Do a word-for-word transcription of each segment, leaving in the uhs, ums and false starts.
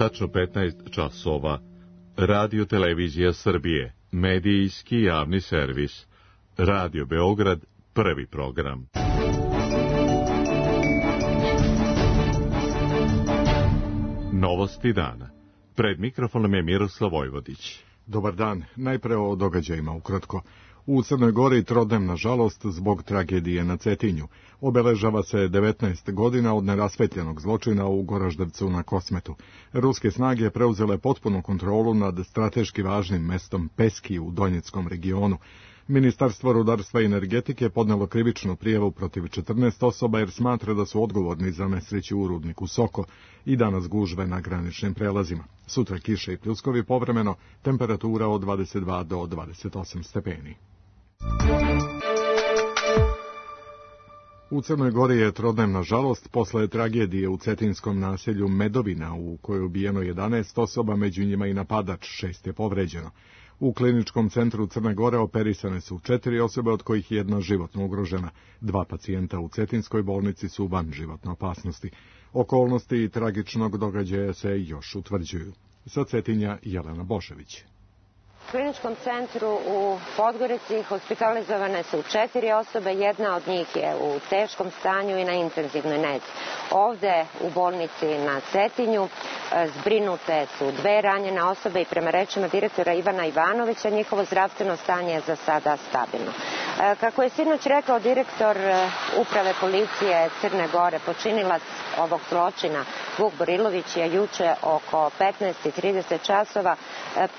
Tačno petnaest časova. Radio Televizija Srbije, medijski javni servis. Radio Beograd, prvi program. Novosti dana. Pred mikrofonom je Miroslav Vojvodić. Dobar dan. Najpre o događajima ukratko. U Crnoj Gori trodnevna žalost zbog tragedije na Cetinju. Obeležava se devetnaest godina od nerasvetljenog zločina u Goraždevcu na Kosmetu. Ruske snage preuzele potpunu kontrolu nad strateški važnim mestom Peski u Donjeckom regionu. Ministarstvo rudarstva i energetike podnelo krivičnu prijavu protiv četrnaest osoba jer smatra da su odgovorni za nesreću u rudniku Soko i danas gužve na graničnim prelazima. Sutra kiše i pljuskovi povremeno, temperatura od dvadeset dva do dvadeset osam stepeni. U Crnoj Gori je trodnevna žalost posle tragedije u cetinskom naselju Medovina u kojoj je ubijeno jedanaest osoba, među njima i napadač, šest je povređeno. U kliničkom centru Crne Gore operisane su četiri osobe, od kojih je jedna životno ugrožena. Dva pacijenta u cetinskoj bolnici su van životne opasnosti. Okolnosti tragičnog događaja se još utvrđuju. Sa Cetinja Jelena Bošević. U kliničkom centru u Podgorici hospitalizovane su četiri osobe, jedna od njih je u teškom stanju i na intenzivnoj nezi. Ovde u bolnici na Cetinju zbrinute su dve ranjene osobe i prema rečima direktora Ivana Ivanovića njihovo zdravstveno stanje je za sada stabilno. Kako je sinoć rekao direktor uprave policije Crne Gore, počinilac ovog zločina Vuk Borilović je juče oko petnaest i trideset časova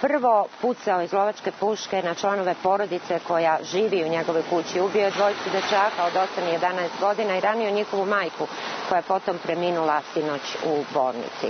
prvo pucao iz lovačke puške na članove porodice koja živi u njegovoj kući. Ubio je dvojicu dečaka od osam i jedanaest godina i ranio njihovu majku koja je potom preminula sinoć u bolnici.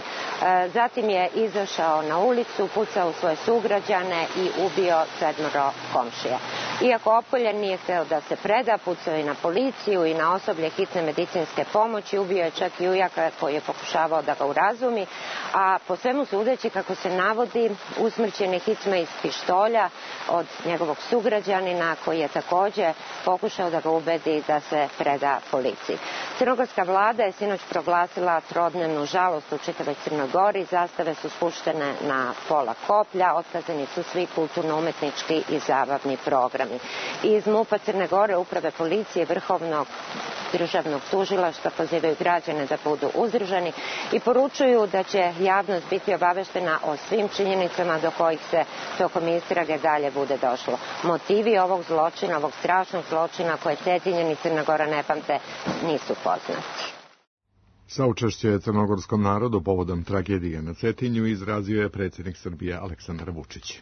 Zatim je izašao na ulicu, pucao u svoje sugrađane i ubio sedmoro komšija. Iako opkoljen nije hteo da se preda, pucao i na policiju i na osoblje hitne medicinske pomoći, ubio je čak i ujaka koji je pokušavao da ga urazumi, a po svemu sudeći, kako se navodi, usmrćen je hicma iz pištolja od njegovog sugrađanina koji je takođe pokušao da ga ubedi da se preda policiji. Crnogorska vlada je sinoć proglasila trodnevnu žalost u čitavoj Crnoj Gori, zastave su spuštene na pola koplja, otkazani su svi kulturno-umetnički i zabavni programi. Iz MUP-a Crne Gore, uprave policije, Vrhovnog državnog tužilaštva pozivaju građane da budu uzdržani i poručuju da će javnost biti obaveštena o svim činjenicama do kojih se tokom istrage dalje bude došlo. Motivi ovog zločina, ovog strašnog zločina koje Cetinjani i Crna Gora ne pamte, nisu poznati. Saučešće crnogorskom narodu povodom tragedije na Cetinju izrazio je predsjednik Srbije Aleksandar Vučić.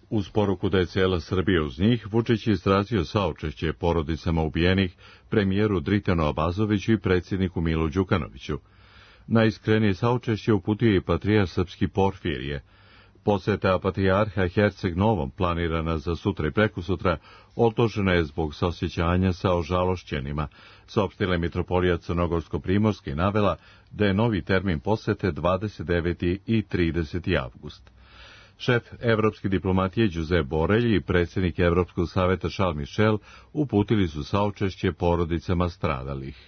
Uz poruku da je cijela Srbija uz njih, Vučić je izrazio saučešće porodicama ubijenih, premijeru Dritanu Abazoviću i predsjedniku Milu Đukanoviću. Najiskrenije saučešće uputio i patrijarh srpski Porfirije. Poseta patrijarha Herceg Novom, planirana za sutra i prekosutra, odložena je zbog saosjećanja sa ožalošćenima. Saopštila je mitropolija Crnogorsko-Primorske i navela da je novi termin posete dvadeset deveti i trideseti avgust. Šef evropske diplomatije Josep Borrell i predsjednik Evropskog saveta Charles Michel uputili su saučešće porodicama stradalih.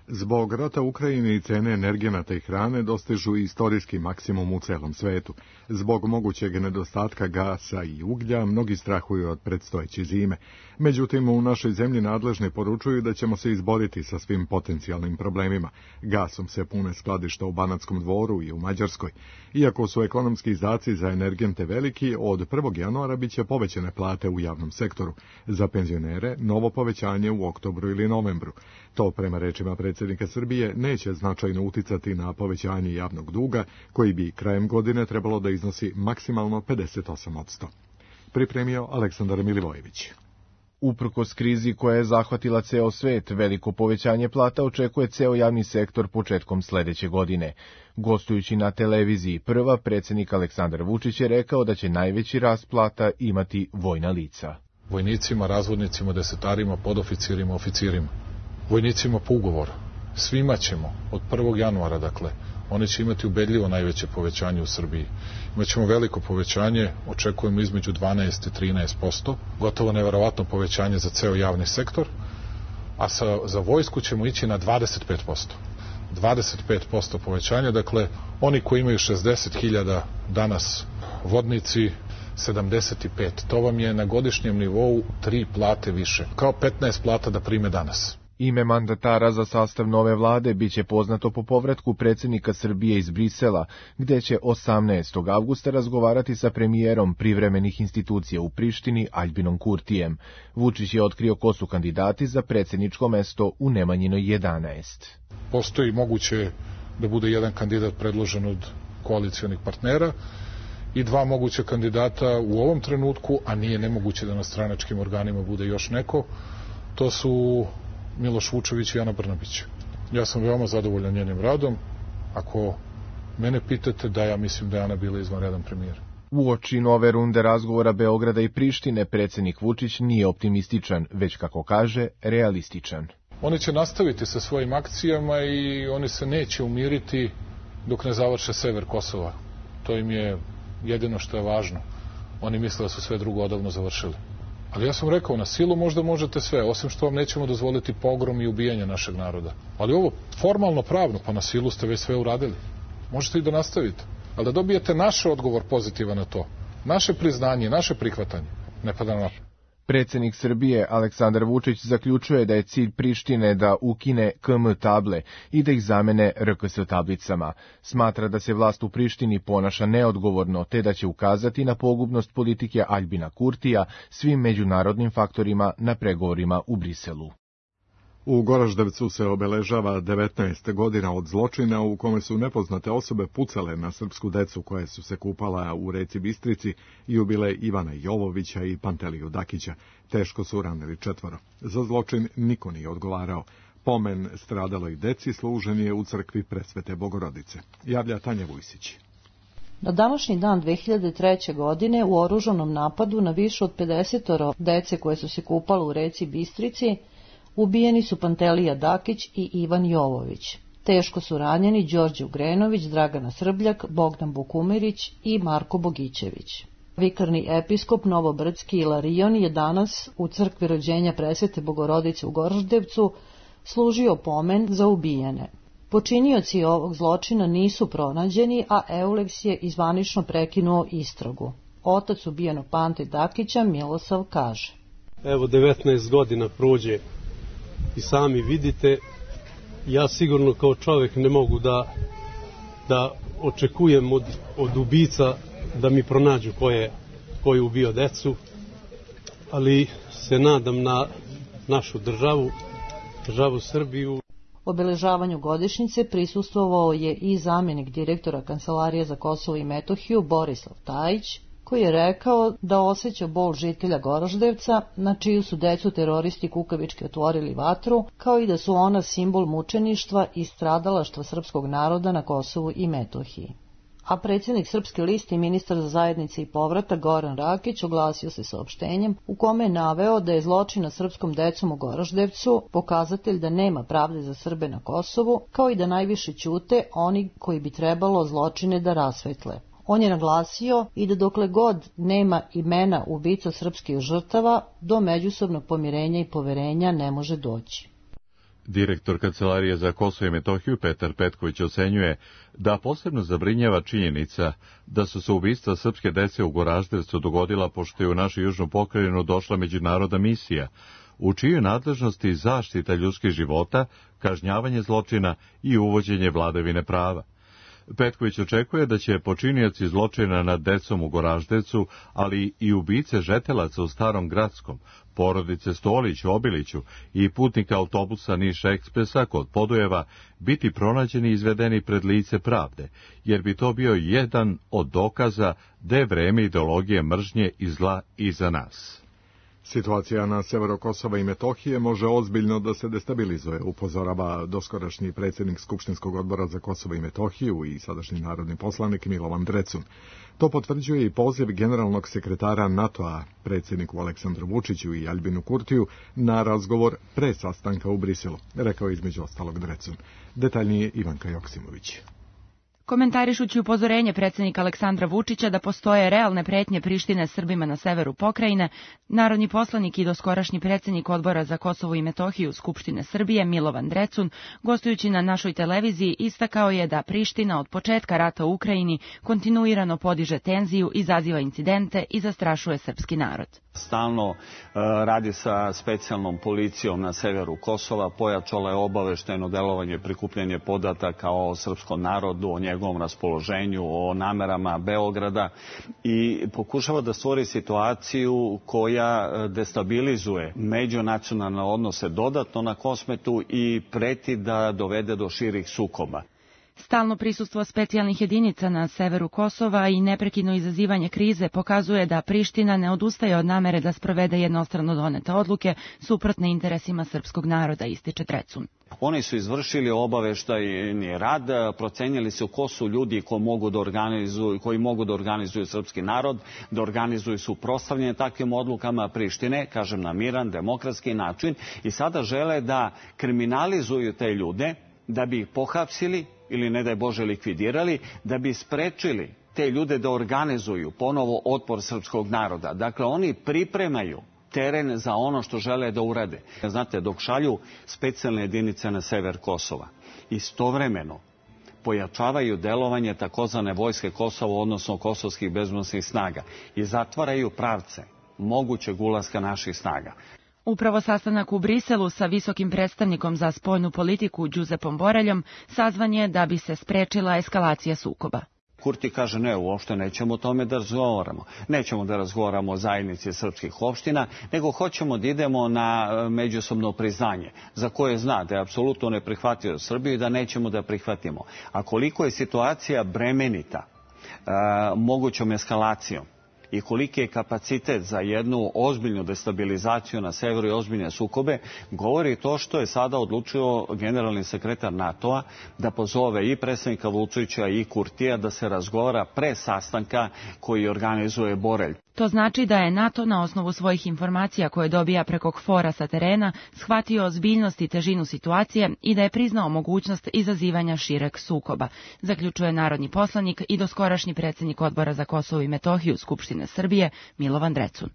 Zbog rata u Ukrajini i cene energenata i hrane dostižu istorijski maksimum u celom svetu. Zbog mogućeg nedostatka gasa i uglja, mnogi strahuju od predstojeće zime. Međutim, u našoj zemlji nadležni poručuju da ćemo se izboriti sa svim potencijalnim problemima. Gasom se pune skladišta u Banatskom Dvoru i u Mađarskoj. Iako su ekonomski izdaci za energente veliki, od prvog januara biće povećane plate u javnom sektoru. Za penzionere novo povećanje u oktobru ili novembru. To, prema rečima predsjednika Srbije, neće značajno uticati na povećanje javnog duga, koji bi krajem godine trebalo da iznosi maksimalno pedeset osam posto. Pripremio Aleksandar Milivojević. Uprkos krizi koja je zahvatila ceo svet, veliko povećanje plata očekuje ceo javni sektor početkom sledeće godine. Gostujući na televiziji Prva, predsjednik Aleksandar Vučić je rekao da će najveći rast plata imati vojna lica. Vojnicima, razvodnicima, desetarima, podoficirima, oficirima. Vojnicima po ugovoru. Svima ćemo, od prvog januara, dakle, oni će imati ubedljivo najveće povećanje u Srbiji. Imaćemo veliko povećanje, očekujemo između dvanaest i trinaest posto, gotovo neverovatno povećanje za ceo javni sektor, a sa, za vojsku ćemo ići na dvadeset pet posto. dvadeset pet posto povećanja, dakle oni koji imaju šezdeset hiljada danas vodnici sedamdeset pet. To vam je na godišnjem nivou tri plate više, kao petnaest plata da prime danas. Ime mandatara za sastav nove vlade biće poznato po povratku predsjednika Srbije iz Brisela, gde će osamnaestog avgusta razgovarati sa premijerom privremenih institucija u Prištini Aljbinom Kurtijem. Vučić je otkrio ko su kandidati za predsjedničko mesto u Nemanjinoj jedanaest. Postoji moguće da bude jedan kandidat predložen od koalicijonih partnera i dva moguća kandidata u ovom trenutku, a nije nemoguće da na stranačkim organima bude još neko. To su Miloš Vučević i Ana Brnabić. Ja sam veoma zadovoljan njenim radom. Ako mene pitate, da, ja mislim da je Ana bila izvanredan premijer. Uoči nove runde razgovora Beograda i Prištine, predsjednik Vučić nije optimističan, već, kako kaže, realističan. Oni će nastaviti sa svojim akcijama i oni se neće umiriti dok ne završe sever Kosova. To im je jedino što je važno. Oni misle da su sve drugo odavno završili. Ali ja sam rekao, na silu možda možete sve, osim što vam nećemo dozvoliti pogrom i ubijanje našeg naroda. Ali ovo formalno pravno, pa na silu ste već sve uradili. Možete i da nastavite. Ali da dobijete naš odgovor pozitivan na to. Naše priznanje, naše prihvatanje. Ne pada na pamet. Predsjednik Srbije Aleksandar Vučić zaključuje da je cilj Prištine da ukine K M table i da ih zamene R K S tablicama. Smatra da se vlast u Prištini ponaša neodgovorno, te da će ukazati na pogubnost politike Aljbina Kurtija svim međunarodnim faktorima na pregovorima u Briselu. U Goraždevcu se obeležava devetnaest godina od zločina u kome su nepoznate osobe pucale na srpsku decu koje su se kupala u reci Bistrici i ubile Ivana Jovovića i Panteliju Dakića. Teško su ranili četvoro. Za zločin niko nije odgovarao. Pomen stradaloj deci služen je u crkvi Presvete Bogorodice. Javlja Tanja Vujsić. Na današnji dan dve hiljade treće. godine u oružanom napadu na više od pedeset dece koje su se kupale u reci Bistrici ubijeni su Pantelija Dakić i Ivan Jovović. Teško su ranjeni Đorđe Ugrenović, Dragana Srbljak, Bogdan Bukumirić i Marko Bogićević. Vikarni episkop Novobrdski Ilarion je danas u crkvi rođenja Presvete Bogorodice u Goraždevcu služio pomen za ubijene. Počinioci ovog zločina nisu pronađeni, a Euleks je izvanično prekinuo istragu. Otac ubijenog Pante Dakića, Milosav, kaže: Evo devetnaest godina prođe i sami vidite, ja sigurno kao čovjek ne mogu da, da očekujem od, od ubica da mi pronađu ko je, ko je ubio decu, ali se nadam na našu državu, državu Srbiju. Obeležavanju godišnjice prisustvovao je i zamjenik direktora Kancelarije za Kosovo i Metohiju Borislav Tajić, koji je rekao da osjeća bol žitelja Goraždevca, na čiju su decu teroristi kukavički otvorili vatru, kao i da su ona simbol mučeništva i stradalaštva srpskog naroda na Kosovu i Metohiji. A predsjednik Srpske liste i ministar za zajednice i povratak Goran Rakić oglasio se saopštenjem u kome je naveo da je zločin nad srpskom decom u Goraždevcu pokazatelj da nema pravde za Srbe na Kosovu, kao i da najviše ćute oni koji bi trebalo zločine da rasvetle. On je naglasio i da dokle god nema imena ubica srpskih žrtava, do međusobnog pomirenja i poverenja ne može doći. Direktor Kancelarije za Kosovo i Metohiju Petar Petković ocenjuje da posebno zabrinjava činjenica da su se ubistva srpske dece u Goraždevcu dogodila pošto je u našu južnu pokrajinu došla međunarodna misija, u čijoj nadležnosti zaštita ljudskih života, kažnjavanje zločina i uvođenje vladavine prava. Petković očekuje da će počinioci zločina nad decom u Goraždevcu, ali i ubice žetelaca u Starom Gradskom, porodice Stolić u Obiliću i putnika autobusa Niš Ekspresa kod Podujeva biti pronađeni i izvedeni pred lice pravde, jer bi to bio jedan od dokaza da je vreme ideologije mržnje i zla iza nas. Situacija na severu Kosova i Metohije može ozbiljno da se destabilizuje, upozorava doskorašnji predsjednik Skupštinskog odbora za Kosovo i Metohiju i sadašnji narodni poslanik Milovan Drecun. To potvrđuje i poziv generalnog sekretara NATO-a, predsjedniku Aleksandru Vučiću i Aljbinu Kurtiju, na razgovor pre sastanka u Briselu, rekao između ostalog Drecun. Detaljnije Ivanka Joksimović. Komentarišući upozorenje predsjednika Aleksandra Vučića da postoje realne pretnje Prištine Srbima na severu pokrajine, narodni poslanik i doskorašnji predsjednik Odbora za Kosovo i Metohiju Skupštine Srbije Milovan Drecun, gostujući na našoj televiziji, istakao je da Priština od početka rata u Ukrajini kontinuirano podiže tenziju, izaziva incidente i zastrašuje srpski narod. Stalno e, radi sa specijalnom policijom na severu Kosova, pojačala je obaveštajno delovanje, prikupljanje podataka o srpskom narodu, o njegovom raspoloženju, o namerama Beograda i pokušava da stvori situaciju koja destabilizuje međunacionalne odnose dodatno na Kosmetu i preti da dovede do širih sukoba. Stalno prisustvo specijalnih jedinica na severu Kosova i neprekidno izazivanje krize pokazuje da Priština ne odustaje od namere da sprovede jednostrano donete odluke suprotne interesima srpskog naroda, ističe Drecun. Oni su izvršili obaveštajni rad, procenjali su ko su ljudi ko mogu da organizuju, koji mogu da organizuju srpski narod, da organizuju suprotstavljanje takvim odlukama Prištine, kažem na miran, demokratski način, i sada žele da kriminalizuju te ljude, da bi ih pohapsili ili ne daj Bože likvidirali, da bi sprečili te ljude da organizuju ponovo otpor srpskog naroda. Dakle, oni pripremaju teren za ono što žele da urade. Znate, dok šalju specijalne jedinice na sever Kosova, istovremeno pojačavaju delovanje takozvane vojske Kosova, odnosno kosovskih bezbednosnih snaga, i zatvaraju pravce mogućeg ulaska naših snaga. Upravo sastanak u Briselu sa visokim predstavnikom za spoljnu politiku Đuzepom Boreljom sazvan je da bi se sprečila eskalacija sukoba. Kurti kaže ne, uopšte nećemo o tome da razgovaramo. Nećemo da razgovaramo o zajednici srpskih opština, nego hoćemo da idemo na međusobno priznanje, za koje zna da je apsolutno neprihvatljivo Srbiju i da nećemo da prihvatimo. A koliko je situacija bremenita a, mogućom eskalacijom i koliki je kapacitet za jednu ozbiljnu destabilizaciju na severu i ozbiljne sukobe, govori to što je sada odlučio generalni sekretar NATO-a da pozove i predsjednika Vučića i Kurtija da se razgovara pre sastanka koji organizuje Borelj. To znači da je NATO na osnovu svojih informacija koje dobija preko KFOR-a sa terena shvatio ozbiljnost i težinu situacije i da je priznao mogućnost izazivanja šireg sukoba, zaključuje narodni poslanik i doskorašnji predsjednik Odbora za Kosovo i Metohiju Skupštine Srbije Milovan Drecun.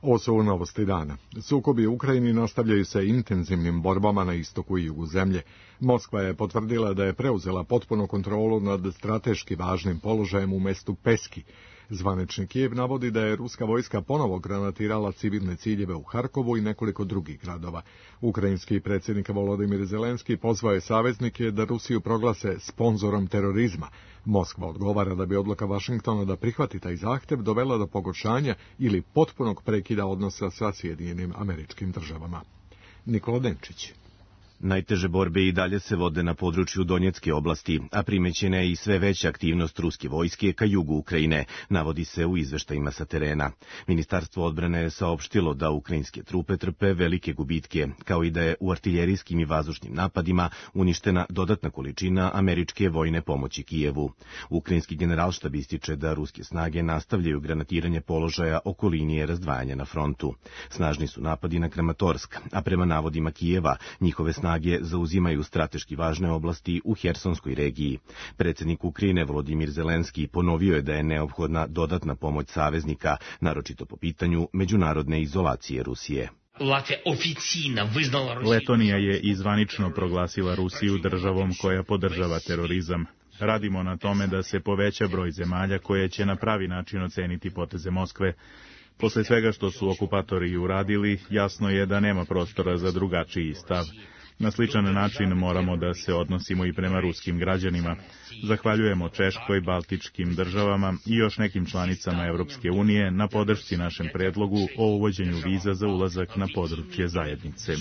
Ovo su novosti dana. Sukobi u Ukrajini nastavljaju se intenzivnim borbama na istoku i jugu zemlje. Moskva je potvrdila da je preuzela potpunu kontrolu nad strateški važnim položajem u mestu Peski. Zvanični Kijev navodi da je ruska vojska ponovo granatirala civilne ciljeve u Harkovu i nekoliko drugih gradova. Ukrajinski predsjednik Volodimir Zelenski pozvao je saveznike da Rusiju proglase sponzorom terorizma. Moskva odgovara da bi odluka Vašingtona da prihvati taj zahtjev dovela do pogoršanja ili potpunog prekida odnosa sa Sjedinjenim Američkim Državama. Nikola Denčić. Najteže borbe i dalje se vode na području Donjecke oblasti, a primećena je i sve veća aktivnost ruske vojske ka jugu Ukrajine, navodi se u izveštajima sa terena. Ministarstvo odbrane je saopštilo da ukrajinske trupe trpe velike gubitke, kao i da je u artiljerijskim i vazdušnim napadima uništena dodatna količina američke vojne pomoći Kijevu. Ukrajinski generalštab ističe da ruske snage nastavljaju granatiranje položaja oko linije razdvajanja na frontu. Snažni su napadi na Kramatorsk, a prema navodima Kijeva, njihove snage zauzimaju strateški važne oblasti u Hersonskoj regiji. Predsjednik Ukrajine Volodimir Zelenski ponovio je da je neophodna dodatna pomoć saveznika, naročito po pitanju međunarodne izolacije Rusije. Letonija je izvanično proglasila Rusiju državom koja podržava terorizam. Radimo na tome da se poveća broj zemalja koje će na pravi način oceniti poteze Moskve. Posle svega što su okupatori uradili, jasno je da nema prostora za drugačiji stav. Na sličan način moramo da se odnosimo i prema ruskim građanima. Zahvaljujemo Češkoj, Baltičkim državama i još nekim članicama Evropske unije na podršci našem predlogu o uvođenju viza za ulazak na područje zajednice.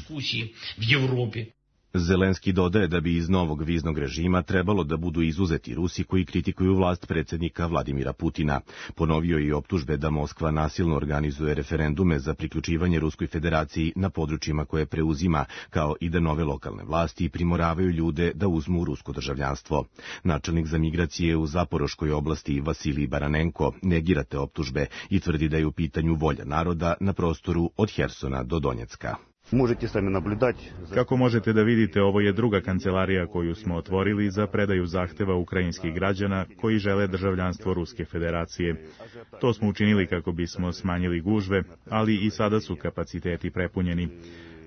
Zelenski dodaje da bi iz novog viznog režima trebalo da budu izuzeti Rusi koji kritikuju vlast predsjednika Vladimira Putina. Ponovio je i optužbe da Moskva nasilno organizuje referendume za priključivanje Ruskoj federaciji na područjima koje preuzima, kao i da nove lokalne vlasti primoravaju ljude da uzmu rusko državljanstvo. Načelnik za migracije u Zaporoškoj oblasti Vasilij Baranenko negira te optužbe i tvrdi da je u pitanju volja naroda na prostoru od Hersona do Donjecka. Kako možete da vidite, ovo je druga kancelarija koju smo otvorili za predaju zahteva ukrajinskih građana koji žele državljanstvo Ruske federacije. To smo učinili kako bismo smanjili gužve, ali i sada su kapaciteti prepunjeni.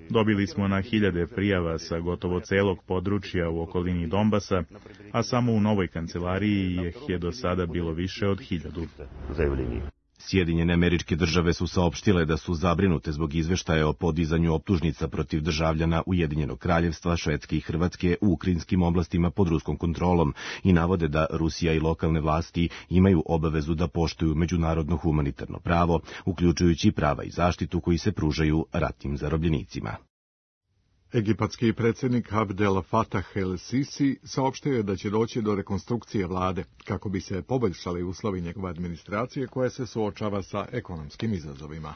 Dobili smo na hiljade prijava sa gotovo celog područja u okolini Donbasa, a samo u novoj kancelariji ih je do sada bilo više od hiljadu. Sjedinjene Američke Države su saopštile da su zabrinute zbog izveštaja o podizanju optužnica protiv državljana Ujedinjenog Kraljevstva, Švedske i Hrvatske u ukrajinskim oblastima pod ruskom kontrolom i navode da Rusija i lokalne vlasti imaju obavezu da poštuju međunarodno humanitarno pravo, uključujući prava i zaštitu koji se pružaju ratnim zarobljenicima. Egipatski predsjednik Abdel Fattah el-Sisi saopštio je da će doći do rekonstrukcije vlade kako bi se poboljšali uslovi njegove administracije koja se suočava sa ekonomskim izazovima.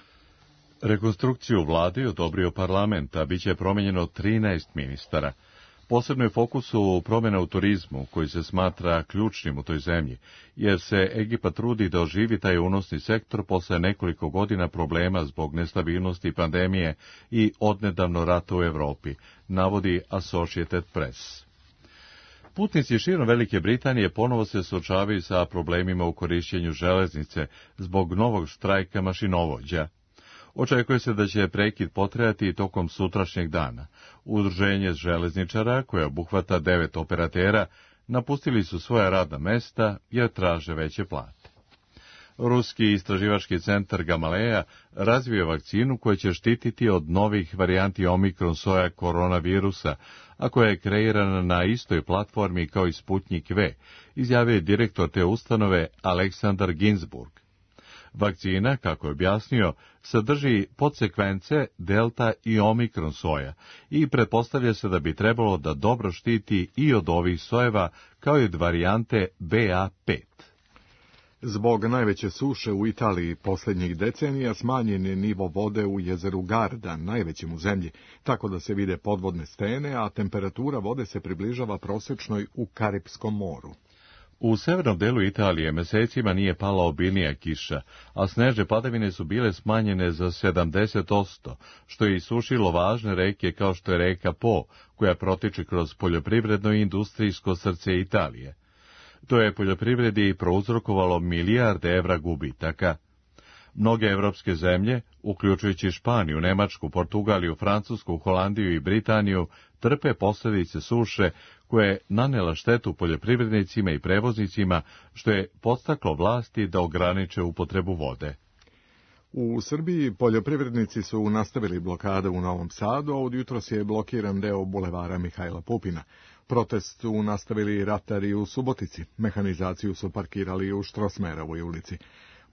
Rekonstrukciju vlade je odobrio parlament, a bit će promijenjeno trinaest ministara. Posebno je fokusu promjena u turizmu, koji se smatra ključnim u toj zemlji, jer se Egipat trudi da oživi taj unosni sektor posle nekoliko godina problema zbog nestabilnosti pandemije i odnedavno rata u Evropi, navodi Associated Press. Putnici širom Velike Britanije ponovo se suočavaju sa problemima u korišćenju železnice zbog novog štrajka mašinovođa. Očekuje se da će prekid potrajati tokom sutrašnjeg dana. Udruženje železničara, koje obuhvata devet operatera, napustili su svoja radna mesta jer traže veće plate. Ruski istraživački centar Gamaleja razvio vakcinu koja će štititi od novih varijanti omikron soja koronavirusa, a koja je kreirana na istoj platformi kao i Sputnik V, izjavio je direktor te ustanove Aleksandar Ginsburg. Vakcina, kako je objasnio, sadrži podsekvence delta i omikron soja i pretpostavlja se da bi trebalo da dobro štiti i od ovih sojeva kao i od varijante B A pet. Zbog najveće suše u Italiji posljednjih decenija smanjen je nivo vode u jezeru Garda, najvećem u zemlji, tako da se vide podvodne stene, a temperatura vode se približava prosječnoj u Karipskom moru. U severnom delu Italije mesecima nije pala obilnija kiša, a snežne padavine su bile smanjene za sedamdeset posto, što je isušilo važne reke kao što je reka Po, koja protiče kroz poljoprivredno i industrijsko srce Italije. To je poljoprivredi prouzrokovalo milijarde evra gubitaka. Mnoge evropske zemlje, uključujući Španiju, Nemačku, Portugaliju, Francusku, Holandiju i Britaniju, trpe posljedice suše koje je nanela štetu poljoprivrednicima i prevoznicima, što je podstaklo vlasti da ograniče upotrebu vode. U Srbiji poljoprivrednici su nastavili blokade u Novom Sadu, a od jutros je blokiran deo bulevara Mihajla Pupina. Protest su nastavili ratari u Subotici, mehanizaciju su parkirali u Štrosmerovoj ulici.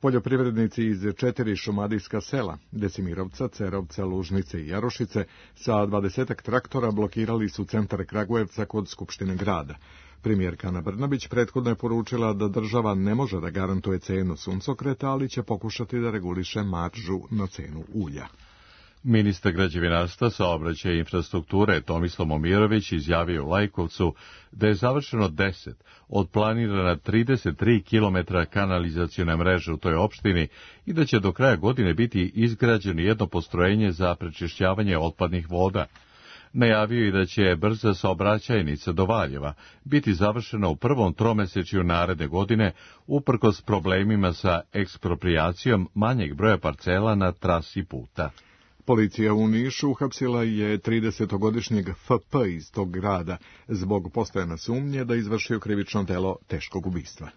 Poljoprivrednici iz četiri šumadijska sela, Decimirovca, Cerovca, Lužnice i Jarošice, sa dvadesetak traktora blokirali su centar Kragujevca kod Skupštine grada. Premijerka Ana Brnabić prethodno je poručila da država ne može da garantuje cenu suncokreta, ali će pokušati da reguliše maržu na cenu ulja. Ministar građevinarstva, saobraćaja i infrastrukture Tomislav Momirović izjavio u Lajkovcu da je završeno deset od planirana trideset tri kilometra kanalizacione mreže u toj opštini i da će do kraja godine biti izgrađeno jedno postrojenje za prečišćavanje otpadnih voda. Najavio i da će brza saobraćajnica do Valjeva biti završena u prvom tromesečju naredne godine, uprkos problemima sa eksproprijacijom manjeg broja parcela na trasi puta. Policija u Nišu uhapsila je tridesetogodišnjeg F P iz tog grada zbog postojane sumnje da izvršio krivično delo teškog ubistva.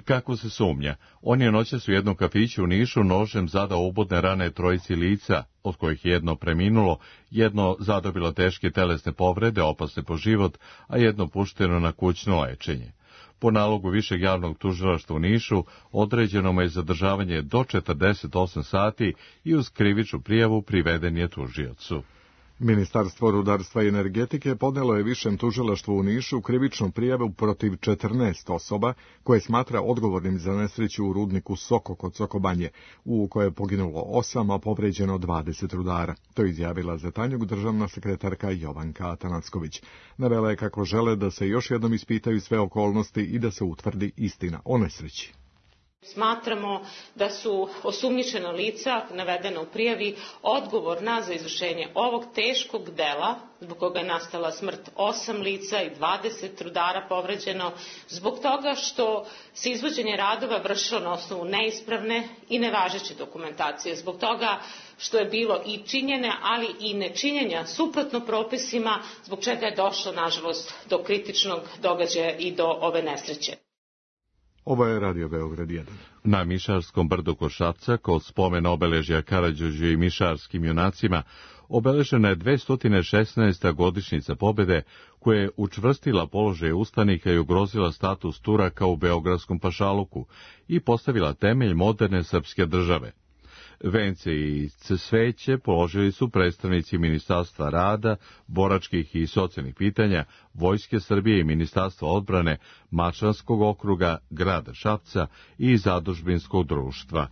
Kako se sumnja? On je noćas u jednom kafiću u Nišu nožem zadao ubodne rane trojici lica, od kojih jedno preminulo, jedno zadobilo teške telesne povrede, opasne po život, a jedno pušteno na kućno lečenje. Po nalogu Višeg javnog tužilaštva u Nišu određeno mu je zadržavanje do četrdeset osam sati i uz krivičnu prijavu priveden je tužiocu. Ministarstvo rudarstva i energetike podnelo je Višem tužilaštvu u Nišu krivičnu prijavu protiv četrnaest osoba koje smatra odgovornim za nesreću u rudniku Soko kod Sokobanje, u kojoj je poginulo osam, a povređeno dvadeset rudara. To je izjavila za Tanjug državna sekretarka Jovanka Atanacković. Navela je kako žele da se još jednom ispitaju sve okolnosti i da se utvrdi istina o nesreći. Smatramo da su osumnjičena lica navedena u prijavi odgovorna za izvršenje ovog teškog dela, zbog koga je nastala smrt osam lica i dvadeset rudara povređeno, zbog toga što se izvođenje radova vršilo na osnovu neispravne i nevažeće dokumentacije, zbog toga što je bilo i činjene, ali i nečinjenja suprotno propisima, zbog čega je došlo, nažalost, do kritičnog događaja i do ove nesreće. Ovo je Radio Beograd jedan. Na Mišarskom brdu kod Šapca, kod spomen obeležja Karađorđu i mišarskim junacima, obeležena je dvesta šesnaesta godišnjica pobede, koja je učvrstila položaj ustanika i ugrozila status Turaka u Beogradskom pašaluku i postavila temelj moderne srpske države. Vence i cveće položili su predstavnici Ministarstva rada, boračkih i socijalnih pitanja, Vojske Srbije i Ministarstva odbrane, Mačvanskog okruga, grada Šapca i Zadužbinskog društva.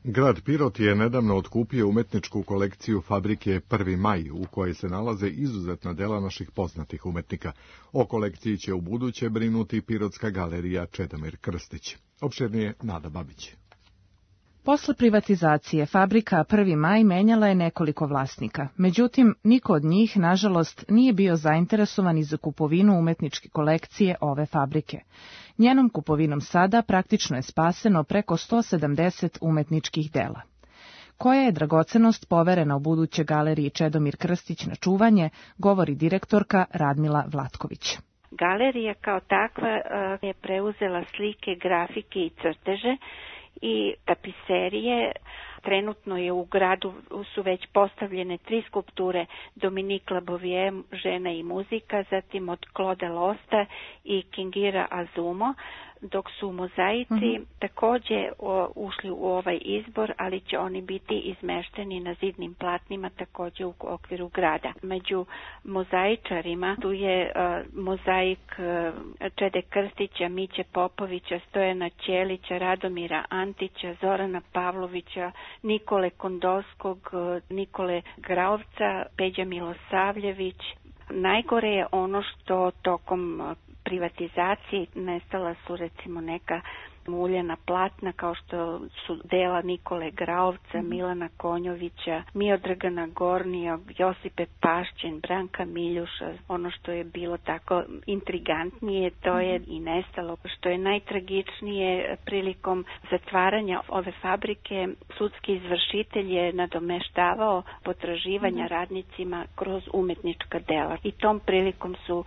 Grad Pirot je nedavno otkupio umetničku kolekciju fabrike Prvi maj, u kojoj se nalaze izuzetna dela naših poznatih umetnika. O kolekciji će u buduće brinuti Pirotska galerija Čedomir Krstić. Opširnije Nada Babić. Posle privatizacije fabrika Prvi maj menjala je nekoliko vlasnika, međutim, niko od njih, nažalost, nije bio zainteresovan i za kupovinu umetničke kolekcije ove fabrike. Njenom kupovinom sada praktično je spaseno preko sto sedamdeset umetničkih dela. Koja je dragocenost poverena u buduće galeriji Čedomir Krstić na čuvanje, govori direktorka Radmila Vlatković. Galerija kao takva je preuzela slike, grafike i crteže i tapiserije. Trenutno je u gradu su već postavljene tri skulpture Dominique Labovie, Žena i muzika, zatim od Claude Losta i Kingira Azumo, dok su mozaici mm-hmm. takođe o, ušli u ovaj izbor, ali će oni biti izmešteni na zidnim platnima takođe u okviru grada. Među mozaičarima tu je uh, mozaik uh, Čede Krstića, Miće Popovića, Stojana Ćelića, Radomira Antića, Zorana Pavlovića, Nikole Kondovskog, uh, Nikole Graovca, Peđa Milosavljević. Najgore je ono što tokom privatizacije nestala su recimo neka muljena platna kao što su dela Nikole Graovca, mm. Milana Konjovića, Miodragana Gornijog, Josipe Pašćen, Branka Miljuša. Ono što je bilo tako intrigantnije, to je i nestalo. Što je najtragičnije, prilikom zatvaranja ove fabrike, sudski izvršitelj je nadomeštavao potraživanja mm. radnicima kroz umetnička dela. I tom prilikom su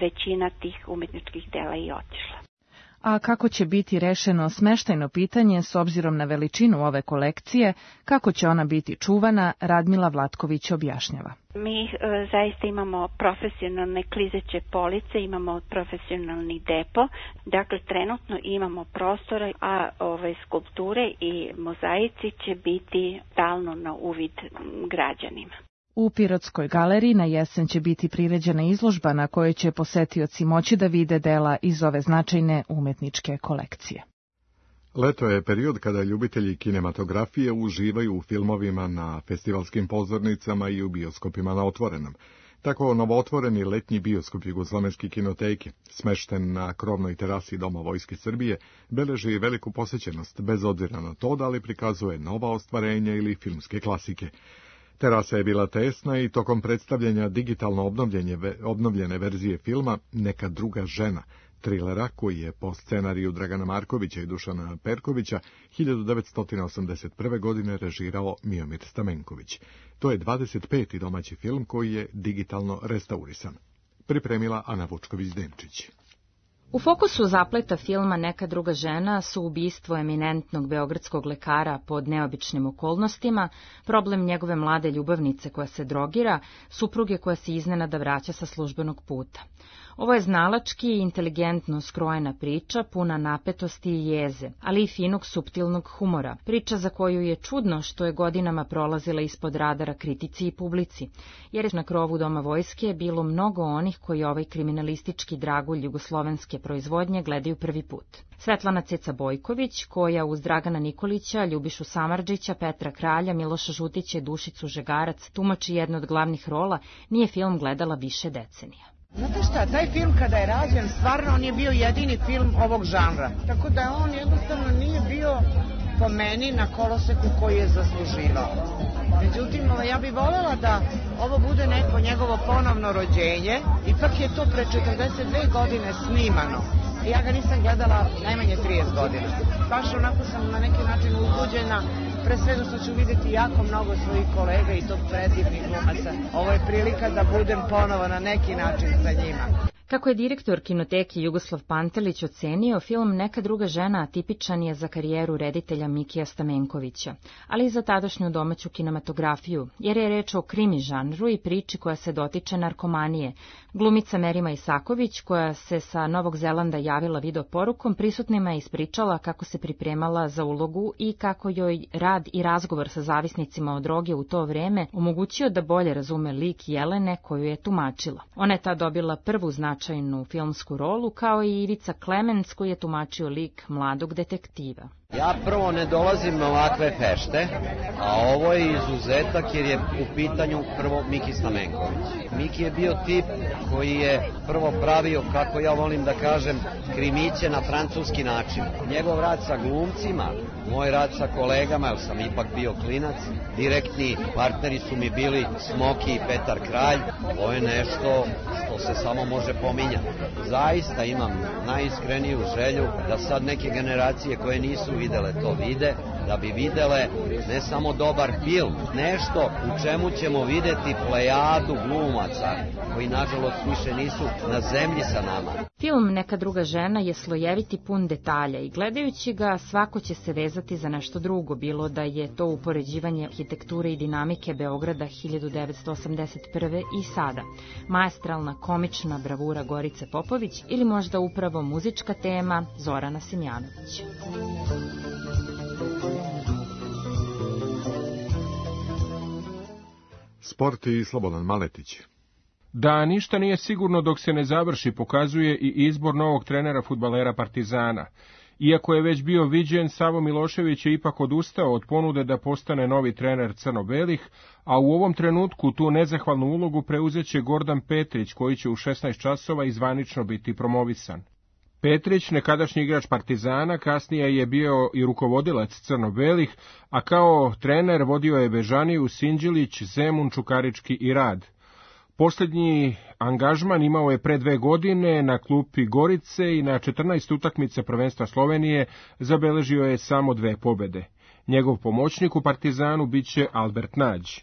većina tih umetničkih dela i otišla. A kako će biti rešeno smeštajno pitanje s obzirom na veličinu ove kolekcije, kako će ona biti čuvana, Radmila Vlatković objašnjava. Mi e, zaista imamo profesionalne klizeće police, imamo profesionalni depo, dakle trenutno imamo prostora, a ove skulpture i mozaici će biti stalno na uvid građanima. U Pirotskoj galeriji na jesen će biti priređena izložba na kojoj će posetioci moći da vide dela iz ove značajne umetničke kolekcije. Leto je period kada ljubitelji kinematografije uživaju u filmovima na festivalskim pozornicama i u bioskopima na otvorenom. Tako novootvoreni letnji bioskop Jugoslovenske kinoteke, smešten na krovnoj terasi Doma Vojske Srbije, beleži veliku posećenost, bez obzira na to da li prikazuje nova ostvarenja ili filmske klasike. Terasa je bila tesna i tokom predstavljanja digitalno obnovljene verzije filma Neka druga žena, trilera koji je po scenariju Dragana Markovića i Dušana Perkovića hiljadu devetsto osamdeset prve. godine režirao Miomir Stamenković. To je dvadeset peti domaći film koji je digitalno restaurisan. Pripremila Ana Vučković-Denčić. U fokusu zapleta filma Neka druga žena su ubistvo eminentnog beogradskog lekara pod neobičnim okolnostima, problem njegove mlade ljubavnice koja se drogira, supruge koja se iznenada vraća sa službenog puta. Ovo je znalački i inteligentno skrojena priča, puna napetosti i jeze, ali i finog suptilnog humora, priča za koju je čudno što je godinama prolazila ispod radara kritici i publici, jer na krovu Doma Vojske je bilo mnogo onih koji ovaj kriminalistički dragulj jugoslovenske proizvodnje gledaju prvi put. Svetlana Ceca Bojković, koja uz Dragana Nikolića, Ljubišu Samardžića, Petra Kralja, Miloša Žutića i Dušicu Žegarac tumači jednu od glavnih rola, nije film gledala više decenija. Znate šta, taj film kada je rađen, stvarno on je bio jedini film ovog žanra. Tako da on jednostavno nije bio po meni na koloseku koji je zasluživao. Međutim, ja bih voljela da ovo bude neko njegovo ponovno rođenje. Ipak je to pre četrdeset dve godine snimano. Ja ga nisam gledala najmanje trideset godina. Baš onako sam na neki način uzbuđena, pre svega što ću vidjeti jako mnogo svojih kolega i tog predivnih glumaca. Ovo je prilika da budem ponovo na neki način sa njima. Kako je direktor kinoteke Jugoslav Pantelić ocenio, film Neka druga žena tipičan je za karijeru reditelja Mikija Stamenkovića, ali i za tadašnju domaću kinematografiju, jer je reč o krimi žanru i priči koja se dotiče narkomanije. Glumica Merima Isaković, koja se sa Novog Zelanda javila video porukom, prisutnima je ispričala kako se pripremala za ulogu i kako joj rad i razgovor sa zavisnicima od droge u to vreme omogućio da bolje razume lik Jelene koju je tumačila. Ona je tad dobila prvu značajnu filmsku rolu, kao i Ivica Klemens koji je tumačio lik mladog detektiva. Ja prvo ne dolazim na ovakve fešte, a ovo je izuzetak jer je u pitanju prvo Miki Stamenković. Miki je bio tip koji je prvo pravio, kako ja volim da kažem, krimiće na francuski način. Njegov rad sa glumcima, moj rad sa kolegama, jer sam ipak bio klinac, direktni partneri su mi bili Smoki i Petar Kralj, ovo je nešto što se samo može pominjati. Zaista imam najiskreniju želju da sad neke generacije koje nisu videle to vide, da bi videle ne samo dobar film, nešto u čemu ćemo videti plejadu glumaca koji nažalost više nisu na zemlji sa nama. Film Neka druga žena je slojeviti, pun detalja i gledajući ga svako će se vezati za nešto drugo, bilo da je to upoređivanje arhitekture i dinamike Beograda hiljadu devetsto osamdeset prve i sada, maestralna komična bravura Gorice Popović ili možda upravo muzička tema Zorana Simjanović. Sport i Slobodan Maletić. Da ništa nije sigurno dok se ne završi, pokazuje i izbor novog trenera fudbalera Partizana. Iako je već bio viđen, Savo Milošević je ipak odustao od ponude da postane novi trener crno-belih, a u ovom trenutku tu nezahvalnu ulogu preuzeće Gordan Petrić, koji će u šesnaest časova izvanično biti promovisan. Petrić, nekadašnji igrač Partizana, kasnije je bio i rukovodilac crno-belih, a kao trener vodio je Bežaniju, Sinđilić, Zemun, Čukarički i Rad. Posljednji angažman imao je pre dve godine na klupi Gorice i na četrnaest utakmica prvenstva Slovenije zabeležio je samo dve pobede. Njegov pomoćnik u Partizanu biće Albert Nađ.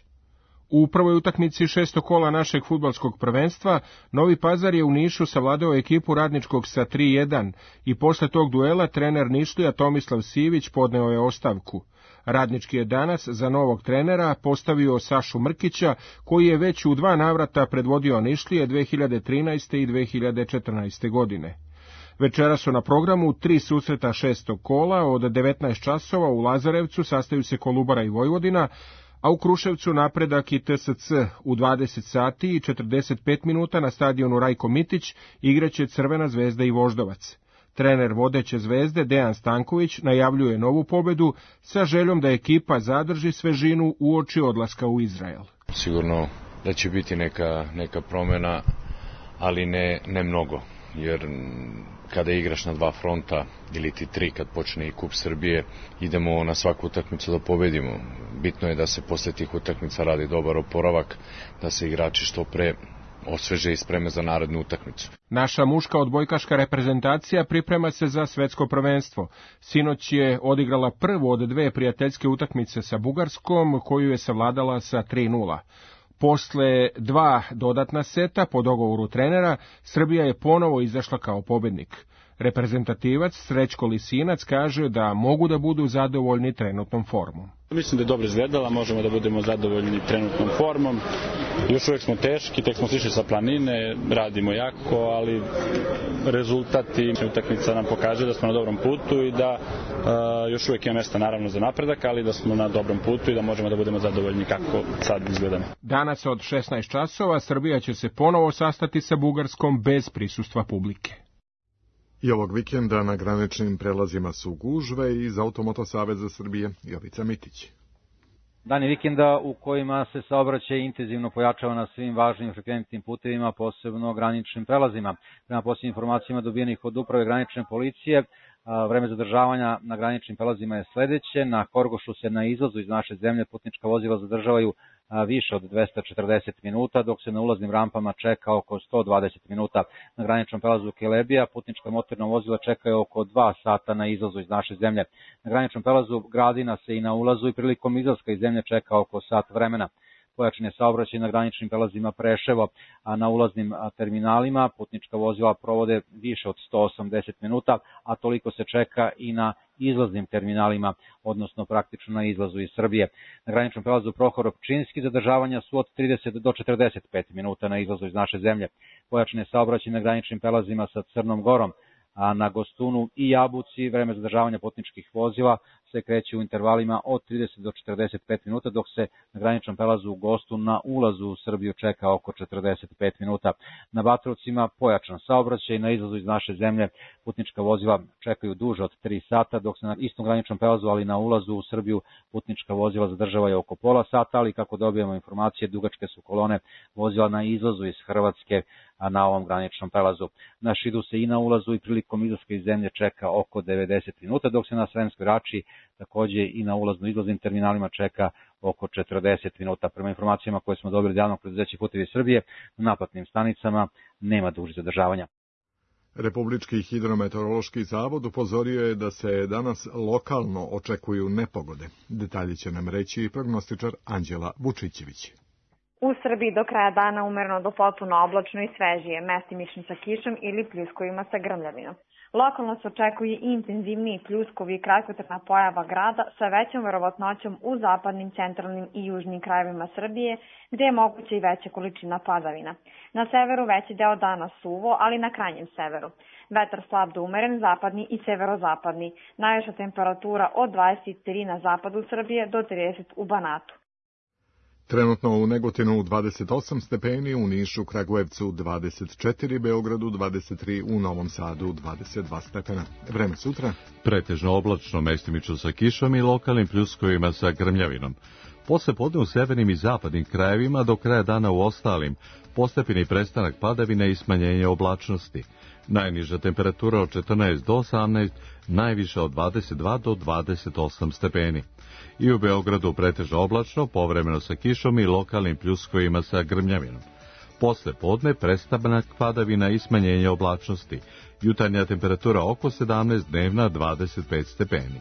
U prvoj utakmici šestog kola našeg fudbalskog prvenstva Novi Pazar je u Nišu savladao ekipu Radničkog sa tri jedan i posle tog duela trener Nišlija Tomislav Sivić podneo je ostavku. Radnički je danas za novog trenera postavio Sašu Mrkića, koji je već u dva navrata predvodio Nišlije dve hiljade trinaeste. i dve hiljade četrnaeste. godine. Večera su na programu tri susreta šestog kola, od devetnaest časova u Lazarevcu sastaju se Kolubara i Vojvodina, a u Kruševcu Napredak i T S C u dvadeset sati i četrdeset pet minuta na stadionu Rajko Mitić igraće Crvena zvezda i Voždovac. Trener vodeće Zvezde Dejan Stanković najavljuje novu pobedu sa željom da ekipa zadrži svežinu uoči odlaska u Izrael. Sigurno da će biti neka, neka promjena, ali ne, ne mnogo, jer kada igraš na dva fronta ili ti tri kad počne i Kup Srbije, idemo na svaku utakmicu da pobedimo. Bitno je da se posle tih utakmica radi dobar oporavak, da se igrači što pre osveže i spreme za narednu utakmicu. Naša muška odbojkaška reprezentacija priprema se za svetsko prvenstvo. Sinoć je odigrala prvu od dve prijateljske utakmice sa Bugarskom, koju je savladala sa tri nula. Posle dva dodatna seta, po dogovoru trenera, Srbija je ponovo izašla kao pobednik. Reprezentativac Srećko Lisinac kaže da mogu da budu zadovoljni trenutnom formom. Mislim da je dobro izgledala, možemo da budemo zadovoljni trenutnom formom. Još uvijek smo teški, tek smo sišli sa planine, radimo jako, ali rezultat i utakmica nam pokaže da smo na dobrom putu i da uh, još uvijek ima mjesta naravno za napredak, ali da smo na dobrom putu i da možemo da budemo zadovoljni kako sad izgledamo. Danas od šesnaest časova Srbija će se ponovo sastati sa Bugarskom bez prisustva publike. I ovog vikenda na graničnim prelazima su gužve iz Automoto Saveza Srbije Jovica Mitić. Dani vikenda u kojima se saobraćaj intenzivno pojačava na svim važnim frekventnim putevima, posebno graničnim prelazima. Prema posljednjim informacijama dobijenih od uprave granične policije, vreme zadržavanja na graničnim prelazima je sledeće. Na Horgošu se na izlazu iz naše zemlje putnička vozila zadržavaju više od dvesta četrdeset minuta, dok se na ulaznim rampama čeka oko sto dvadeset minuta. Na graničnom prelazu Kelebija putnička motorna vozila čekaju oko dva sata na izlazu iz naše zemlje. Na graničnom prelazu Gradina se i na ulazu i prilikom izlaska iz zemlje čeka oko sat vremena. Pojačan je saobraćaj na graničnim prelazima Preševo, a na ulaznim terminalima putnička vozila provode više od sto osamdeset minuta, a toliko se čeka i na izlaznim terminalima, odnosno praktično na izlazu iz Srbije. Na graničnom prelazu Prohorov Pčinski zadržavanja su od trideset do četrdeset pet minuta na izlazu iz naše zemlje. Pojačan je saobraćaj na graničnim prelazima sa Crnom Gorom, a na Gostunu i Jabuci vreme zadržavanja putničkih vozila se kreće u intervalima od trideset do četrdeset pet minuta, dok se na graničnom prelazu u Gostun na ulazu u Srbiju čeka oko četrdeset pet minuta. Na Batrovcima pojačan saobraćaj, na izlazu iz naše zemlje putnička vozila čekaju duže od tri sata, dok se na istom graničnom prelazu, ali na ulazu u Srbiju putnička vozila zadržavaju oko pola sata, ali kako dobijemo informacije, dugačke su kolone vozila na izlazu iz Hrvatske, a na ovom graničnom prelazu. Na Šidu se i na ulazu i prilikom izlaska iz zemlje čeka oko devedeset minuta, dok se na Sremskoj Rači takođe i na ulazno-izlaznim terminalima čeka oko četrdeset minuta. Prema informacijama koje smo dobili od javnog preduzeća Putevi Srbije, na naplatnim stanicama nema dužih zadržavanja. Republički hidrometeorološki zavod upozorio je da se danas lokalno očekuju nepogode. Detalji će nam reći prognostičar Anđela Vučićević. U Srbiji do kraja dana umereno do potpuno oblačno i svežije, mestimično sa kišom ili pljuskovima sa grmljavinom. Lokalno se očekuje intenzivniji pljuskovi i kratkotrajna pojava grada sa većom verovatnoćom u zapadnim, centralnim i južnim krajevima Srbije, gde je moguća i veća količina padavina. Na severu veći deo dana suvo, ali na krajnjem severu. Vetar slab do umeren, zapadni i severozapadni. Najviša temperatura od dvadeset tri na zapadu Srbije do trideset u Banatu. Trenutno u Negotinu dvadeset osam stepeni, u Nišu, Kragujevcu dvadeset četiri, Beogradu dvadeset tri, u Novom Sadu dvadeset dva stepena. Vreme sutra? Pretežno oblačno, mestimično sa kišom i lokalnim pljuskovima sa grmljavinom. Posle podne u severnim i zapadnim krajevima, do kraja dana u ostalim, postepeni prestanak padavine i smanjenje oblačnosti. Najniža temperatura od četrnaest do osamnaest, najviša od dvadeset dva do dvadeset osam stepeni. I u Beogradu pretežno oblačno, povremeno sa kišom i lokalnim pljuskovima sa grmljavinom. Posle podne prestanak padavina i smanjenje oblačnosti. Jutarnja temperatura oko sedamnaest, dnevna dvadeset pet stepeni.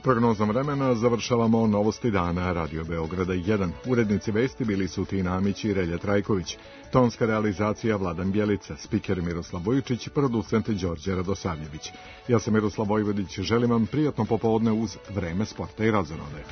Prognozom vremena završavamo novosti dana Radio Beograda jedan. Urednici vesti bili su Tina Amić i Relja Trajković. Tonska realizacija Vladan Bjelica, spiker Miroslav Bojičić, producent Đorđe Radosavljević. Ja sam Miroslav Vojvodić, želim vam prijatno popodne uz Vreme sporta i razonode.